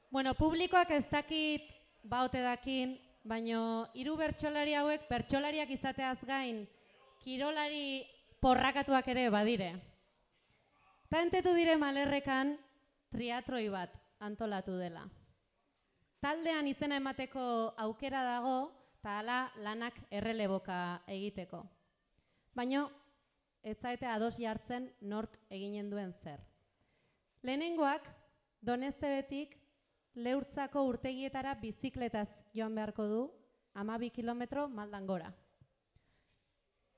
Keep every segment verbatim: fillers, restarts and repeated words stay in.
Bueno, publikoak ez dakit baote dakin, baino hiru bertsolari hauek bertsolariak izateaz gain kirolari porrakatuak ere badire. Ta entetu dire Malerrekan triatloi bat antolatu dela. Taldean izena emateko aukera dago, eta hala lanak erreleboka egiteko. Baino, ez zaete ados jartzen nork eginen duen zer. Lehenengoak, Doneztebetik Leurtzako urtegietara bizikletaz joan beharko du, hamabi kilometro maldan gora.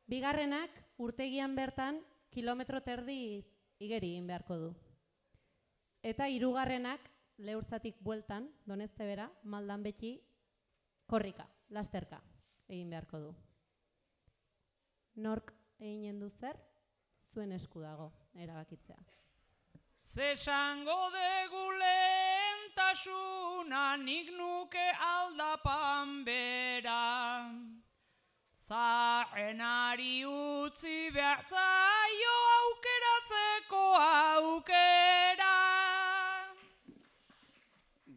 Bigarrenak, urtegian bertan, kilometro terdi igeri egin beharko du. Eta hirugarrenak, Leurtzatik bueltan, Doneztebera, maldan beti, korrika, lasterka egin beharko du. Nork eginen du zer, zuen esku dago erabakitzea. Zesango degu lehentasuna nik nuke aldapan bera. Zahenari utzi behartzaio aukeratzeko aukera.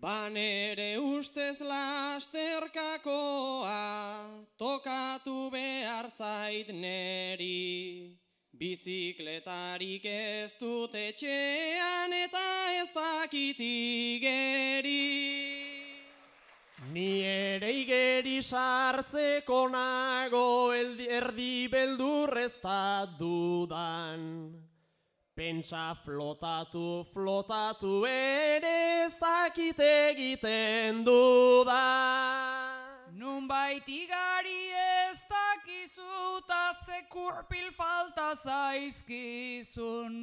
Banere ustez lasterkakoa tokatu behar zait neri. Bizikletarik ez dut etxean eta ez dakit igeri. Ni ere igeri sartzeko nago erdi beldur ez da dudan. Pentsa flotatu, flotatu ere ez dakit egiten dudan. Nunbait igari ez dakizu ta zekurpil falta zaizkizun.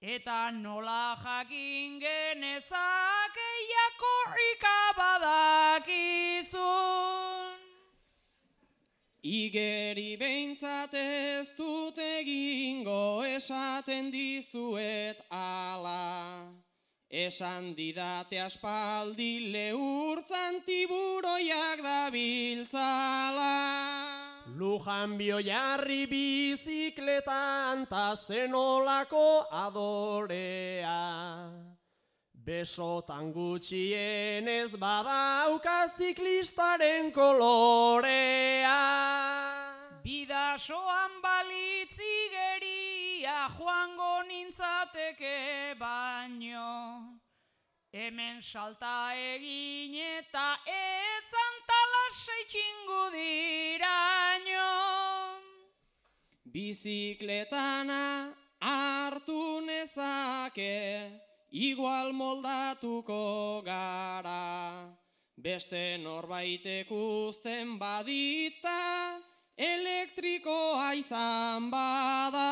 Eta nola jakin genezake jakorrika badakizun. Igeri behintzat ez dut egingo esaten dizuet ala. Esan didate aspaldi Leurtzan tiburoiak dabiltzala. Lujan bioiarri bizikletan ta zenolako adorea. Besotan gutxienez badauka ziklistaren kolorea. Bidasoan balitzi geria joango nintzateke baino. Hemen salta egin eta etzan talasai txingu diraino. Bizikletana hartu nezake, igual moldatuko gara. Beste norbaitek uzten baditzta, elektrikoa izan bada.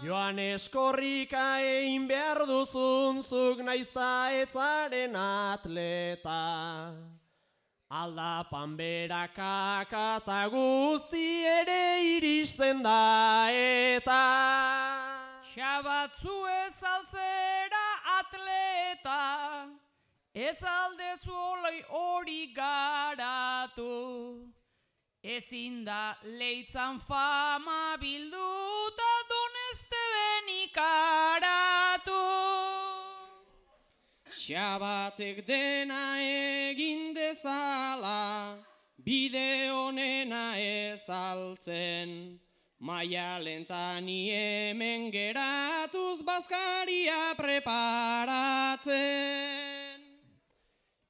Joan eskorrika egin behar duzun zuk naizta etzaren atleta. Aldapan berakaka eta guzti ere iristen da eta. Xabatzu ez altzera atleta, ez aldezu oloi hori garatu. Ezin da leitzan fama bilduta Donezteben ikaratu. Xabatek dena egin dezala, bide honena ez altzen. Maialentan hemen geratuz bazkaria preparatzen.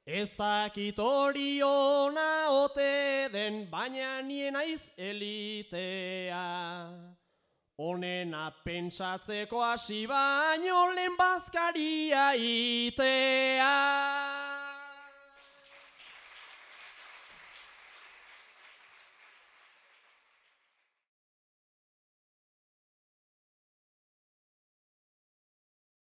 Ez dakit hori ona ote den, baina nien aiz elitea. Honena pentsatzeko hasi baino lehen bazkaria itea.